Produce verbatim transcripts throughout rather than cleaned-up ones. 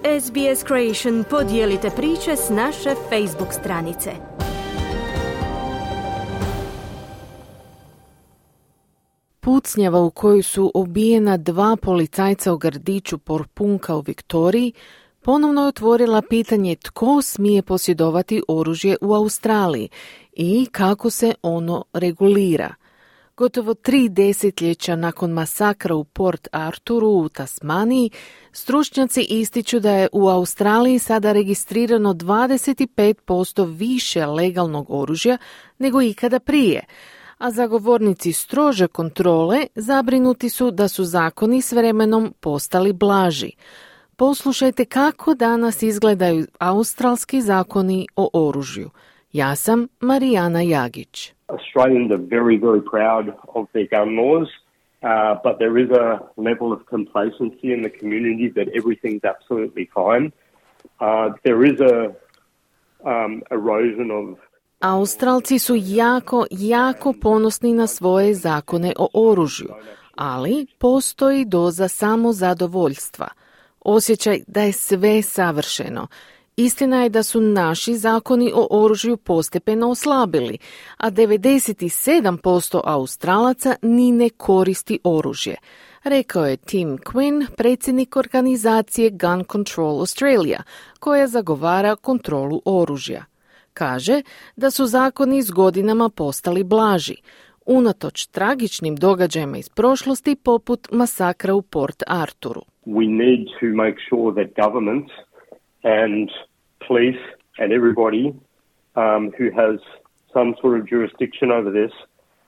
S B S Creation podijelite priče s naše Facebook stranice. Pucnjava u kojoj su ubijena dva policajca u gradiću Porpunka u Viktoriji ponovno je otvorila pitanje tko smije posjedovati oružje u Australiji i kako se ono regulira. Gotovo tri desetljeća nakon masakra u Port Arturu u Tasmaniji, stručnjaci ističu da je u Australiji sada registrirano dvadeset pet posto više legalnog oružja nego ikada prije, a zagovornici strože kontrole zabrinuti su da su zakoni s vremenom postali blaži. Poslušajte kako danas izgledaju australski zakoni o oružju. Ja sam Marijana Jagić. Australians are very, very proud of their gun laws, uh, but there is a level of complacency in the community that everything's absolutely fine. Uh, there is a um, erosion of Australci su jako, jako ponosni na svoje zakone o oružju, ali postoji doza samozadovoljstva. Osjećaj da je sve savršeno. Istina je da su naši zakoni o oružju postepeno oslabili, a devedeset sedam posto Australaca ni ne koristi oružje, rekao je Tim Quinn, predsjednik organizacije Gun Control Australia, koja zagovara kontrolu oružja. Kaže da su zakoni s godinama postali blaži, unatoč tragičnim događajima iz prošlosti poput masakra u Port Arturu. We need to make sure that governments and police and everybody um, who has some sort of jurisdiction over this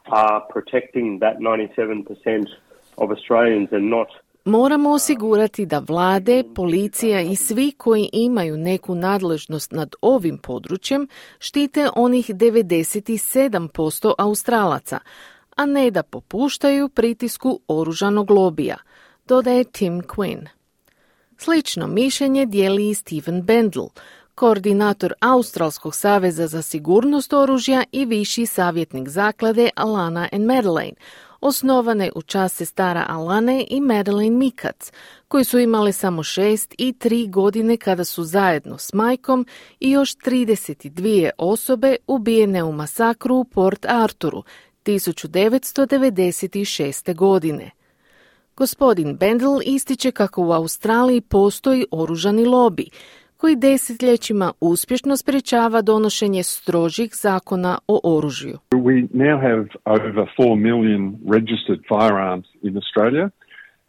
are protecting that ninety-seven percent of Australians and not. Moramo osigurati da vlade, policija i svi koji imaju neku nadležnost nad ovim područjem štite onih devedeset sedam posto Australaca, a ne da popuštaju pritisku oružanog lobija, dodaje Tim Quinn. Slično mišljenje dijeli i Stephen Bendel, koordinator Australskog saveza za sigurnost oružja i viši savjetnik zaklade Alana and Madeleine, osnovane u čast sestara Alane i Madeleine Mikac, koji su imale samo šest i tri godine kada su zajedno s majkom i još trideset dvije osobe ubijene u masakru u Port Arturu tisuću devetsto devedeset šeste. godine. Gospodin Bendel ističe kako u Australiji postoji oružani lobi, koji desetljećima uspješno sprječava donošenje strožih zakona o oružju. We now have over four million registered firearms in Australia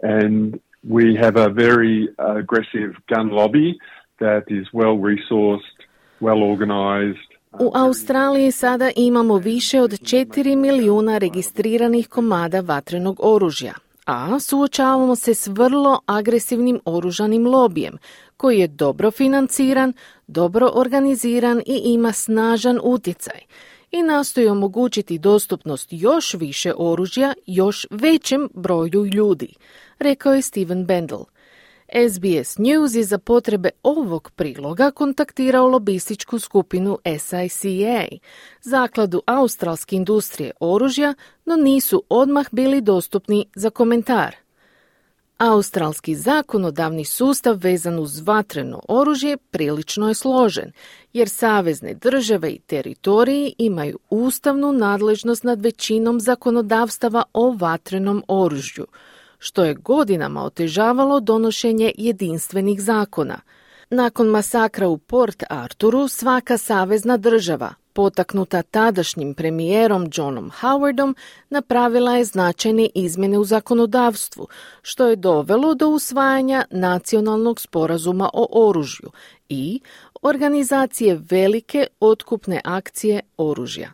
and we have a very aggressive gun lobby that is well resourced, well organized. U Australiji sada imamo više od četiri milijuna registriranih komada vatrenog oružja, a suočavamo se s vrlo agresivnim oružanim lobijem, koji je dobro financiran, dobro organiziran i ima snažan utjecaj i nastoji omogućiti dostupnost još više oružja još većem broju ljudi, rekao je Stephen Bendel. S B S News je za potrebe ovog priloga kontaktirao lobističku skupinu S I C A, zakladu australske industrije oružja, no nisu odmah bili dostupni za komentar. Australski zakonodavni sustav vezan uz vatreno oružje prilično je složen, jer savezne države i teritoriji imaju ustavnu nadležnost nad većinom zakonodavstava o vatrenom oružju, što je godinama otežavalo donošenje jedinstvenih zakona. Nakon masakra u Port Arturu, svaka savezna država, potaknuta tadašnjim premijerom Johnom Howardom, napravila je značajne izmjene u zakonodavstvu, što je dovelo do usvajanja nacionalnog sporazuma o oružju i organizacije velike otkupne akcije oružja.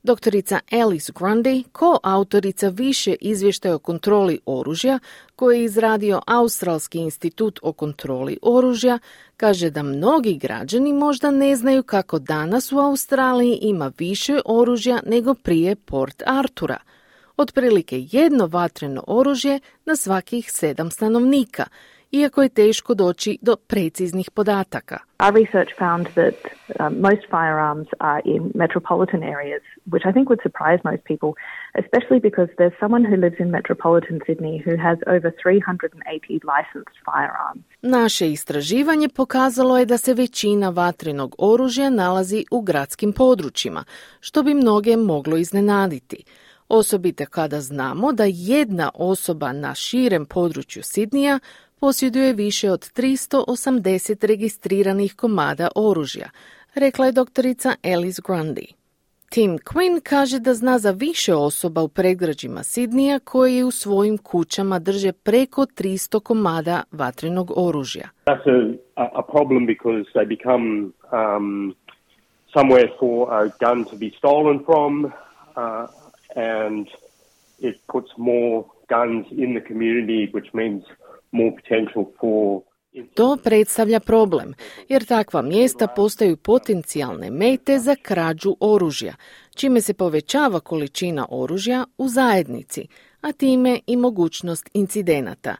Doktorica Alice Grundy, koautorica više izvještaja o kontroli oružja koji je izradio Australski institut o kontroli oružja, kaže da mnogi građani možda ne znaju kako danas u Australiji ima više oružja nego prije Port Artura. Otprilike jedno vatreno oružje na svakih sedam stanovnika iako je teško doći do preciznih podataka. Our research found that um, most firearms are in metropolitan areas, which I think would surprise most people, especially because there's someone who lives in metropolitan Sydney who has over three hundred eighty licensed firearms. Naše istraživanje pokazalo je da se većina vatrenog oružja nalazi u gradskim područjima, što bi mnoge moglo iznenaditi. Osobito kada znamo da jedna osoba na širem području Sidnija posjeduje više od tristo osamdeset registriranih komada oružja, rekla je doktorica Alice Grundy. Tim Quinn kaže da zna za više osoba u predgrađima Sidnija koji u svojim kućama drže preko tristo komada vatrenog oružja. That's a, a problem because they become um, somewhere for a gun to be stolen from, uh, and it puts more guns in the community, which means more potential for... To predstavlja problem, jer takva mjesta postaju potencijalne mete za krađu oružja, čime se povećava količina oružja u zajednici, a time i mogućnost incidenata.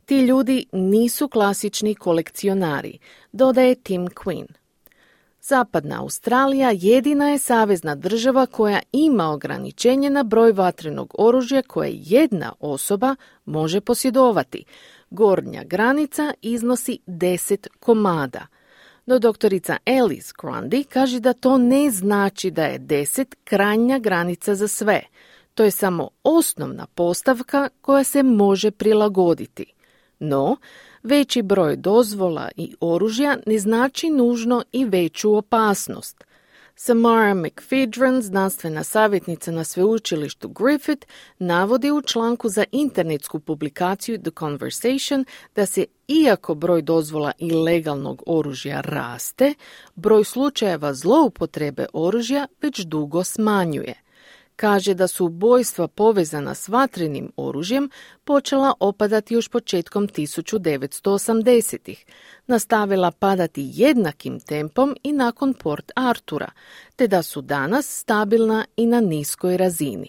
Ti ljudi nisu klasični kolekcionari, dodaje Tim Quinn. Zapadna Australija jedina je savezna država koja ima ograničenje na broj vatrenog oružja koje jedna osoba može posjedovati. Gornja granica iznosi deset komada. No doktorica Alice Grundy kaže da to ne znači da je deset krajnja granica za sve. To je samo osnovna postavka koja se može prilagoditi. No, veći broj dozvola i oružja ne znači nužno i veću opasnost. Samara McPhedran, znanstvena savjetnica na sveučilištu Griffith, navodi u članku za internetsku publikaciju The Conversation da se, iako broj dozvola i legalnog oružja raste, broj slučajeva zloupotrebe oružja već dugo smanjuje. Kaže da su ubojstva povezana s vatrenim oružjem počela opadati još početkom tisuću devetsto osamdesetih, nastavila padati jednakim tempom i nakon Port Artura, te da su danas stabilna i na niskoj razini.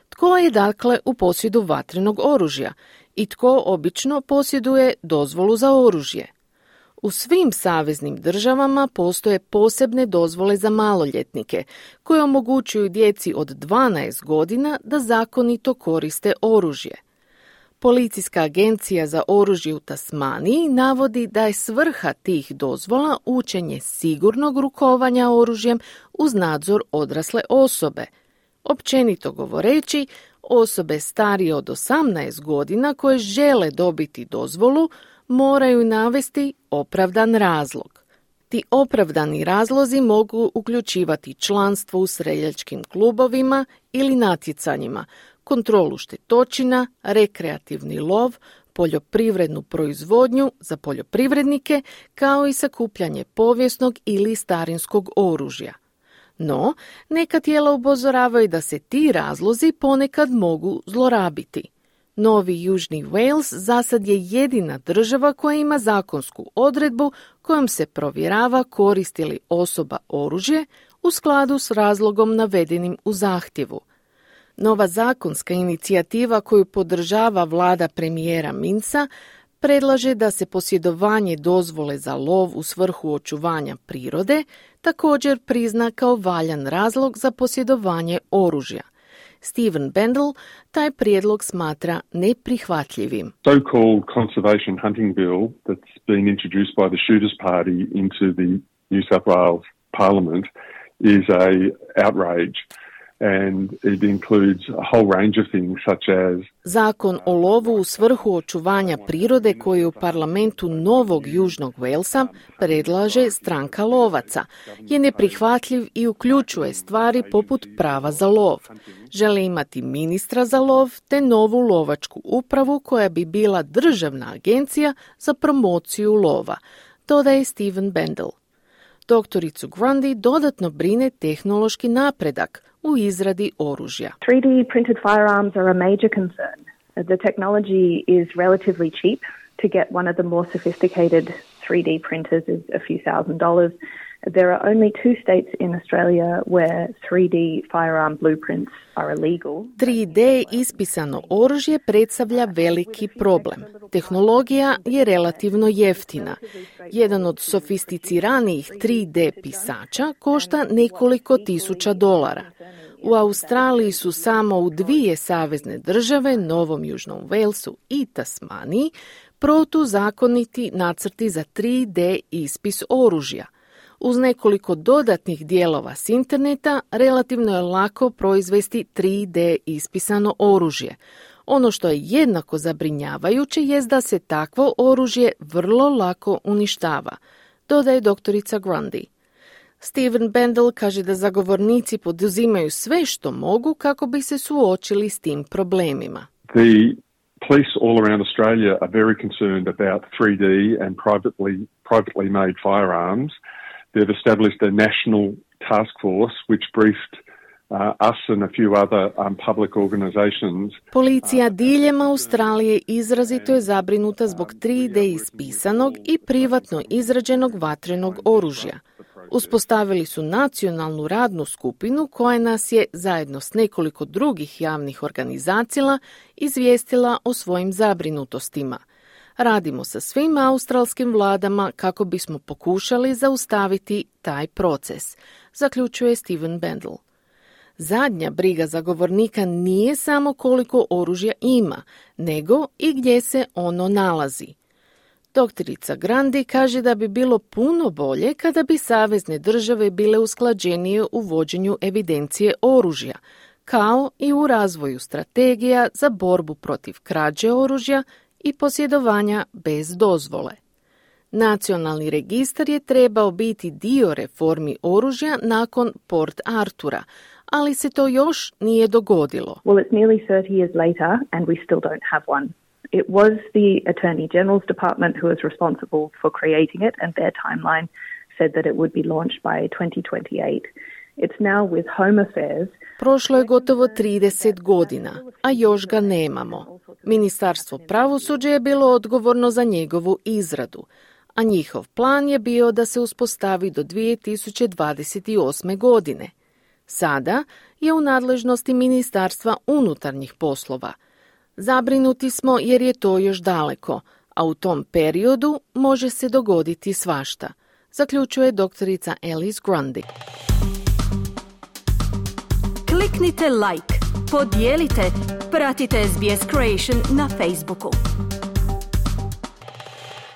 Tko je dakle u posjedu vatrenog oružja i tko obično posjeduje dozvolu za oružje? U svim saveznim državama postoje posebne dozvole za maloljetnike koje omogućuju djeci od dvanaest godina da zakonito koriste oružje. Policijska agencija za oružje u Tasmaniji navodi da je svrha tih dozvola učenje sigurnog rukovanja oružjem uz nadzor odrasle osobe. Općenito govoreći, osobe starije od osamnaest godina koje žele dobiti dozvolu moraju navesti opravdan razlog. Ti opravdani razlozi mogu uključivati članstvo u streljačkim klubovima ili natjecanjima, kontrolu štetočina, rekreativni lov, poljoprivrednu proizvodnju za poljoprivrednike, kao i sakupljanje povijesnog ili starinskog oružja. No, neka tijela upozoravaju da se ti razlozi ponekad mogu zlorabiti. Novi Južni Wales zasad je jedina država koja ima zakonsku odredbu kojom se provjerava koristi li osoba oružje u skladu s razlogom navedenim u zahtjevu. Nova zakonska inicijativa koju podržava vlada premijera Minsa predlaže da se posjedovanje dozvole za lov u svrhu očuvanja prirode također prizna kao valjan razlog za posjedovanje oružja. Stephen Bendel taj prijedlog smatra neprihvatljivim. So-called conservation hunting bill that's been introduced by the Shooters Party into the New South Wales Parliament is a outrage. And it includes a whole range of things such as Zakon o lovu u svrhu očuvanja prirode koji u parlamentu Novog Južnog Walesa predlaže stranka lovaca je neprihvatljiv i uključuje stvari poput prava za lov. Žele imati ministra za lov te novu lovačku upravu koja bi bila državna agencija za promociju lova, dodaje Stephen Bendel. Doktoricu Grundy dodatno brine tehnološki napredak u izradi oružja. three D printed firearms are a major concern. The technology is relatively cheap. To get one of the more sophisticated three D printers is a few thousand dollars. There are only two states in Australia where three D firearm blueprints are illegal. tri D ispisano oružje predstavlja veliki problem. Tehnologija je relativno jeftina. Jedan od sofisticiranijih tri D pisača košta nekoliko tisuća dolara. U Australiji su samo u dvije savezne države, Novom Južnom Walesu i Tasmaniji, protuzakoniti nacrti za tri D ispis oružja. Uz nekoliko dodatnih dijelova s interneta relativno je lako proizvesti tri D ispisano oružje. Ono što je jednako zabrinjavajuće jest da se takvo oružje vrlo lako uništava, dodaje doktorica Grundy. Stephen Bendel kaže da zagovornici poduzimaju sve što mogu kako bi se suočili s tim problemima. The police all around Australia are very concerned about three D and privately privately made firearms. They've established a national task force which briefed uh, us and a few other um, public organizations. Policija diljem Australije izrazito je zabrinuta zbog tri D ispisanog i privatno izrađenog vatrenog oružja. Uspostavili su nacionalnu radnu skupinu koja nas je, zajedno s nekoliko drugih javnih organizacija, izvijestila o svojim zabrinutostima. Radimo sa svim australskim vladama kako bismo pokušali zaustaviti taj proces, zaključuje Stephen Bendel. Zadnja briga zagovornika nije samo koliko oružja ima, nego i gdje se ono nalazi. Doktorica Grundy kaže da bi bilo puno bolje kada bi savezne države bile usklađenije u vođenju evidencije oružja, kao i u razvoju strategija za borbu protiv krađe oružja i posjedovanja bez dozvole. Nacionalni registar je trebao biti dio reformi oružja nakon Port Artura, ali se to još nije dogodilo. Well, it's nearly thirty years later and we still don't have one. It was the Attorney General's Department who was responsible for creating it, and their timeline said that it would be launched by twenty twenty-eight. It's now with Home Affairs. Prošlo je gotovo trideset godina, a još ga nemamo. Ministarstvo pravosuđa je bilo odgovorno za njegovu izradu, a njihov plan je bio da se uspostavi do dvije tisuće dvadeset osme. godine. Sada je u nadležnosti Ministarstva unutarnjih poslova. Zabrinuti smo jer je to još daleko, a u tom periodu može se dogoditi svašta, zaključuje doktorica Alice Grundy. Kliknite like, podijelite, pratite S B S Creation na Facebooku.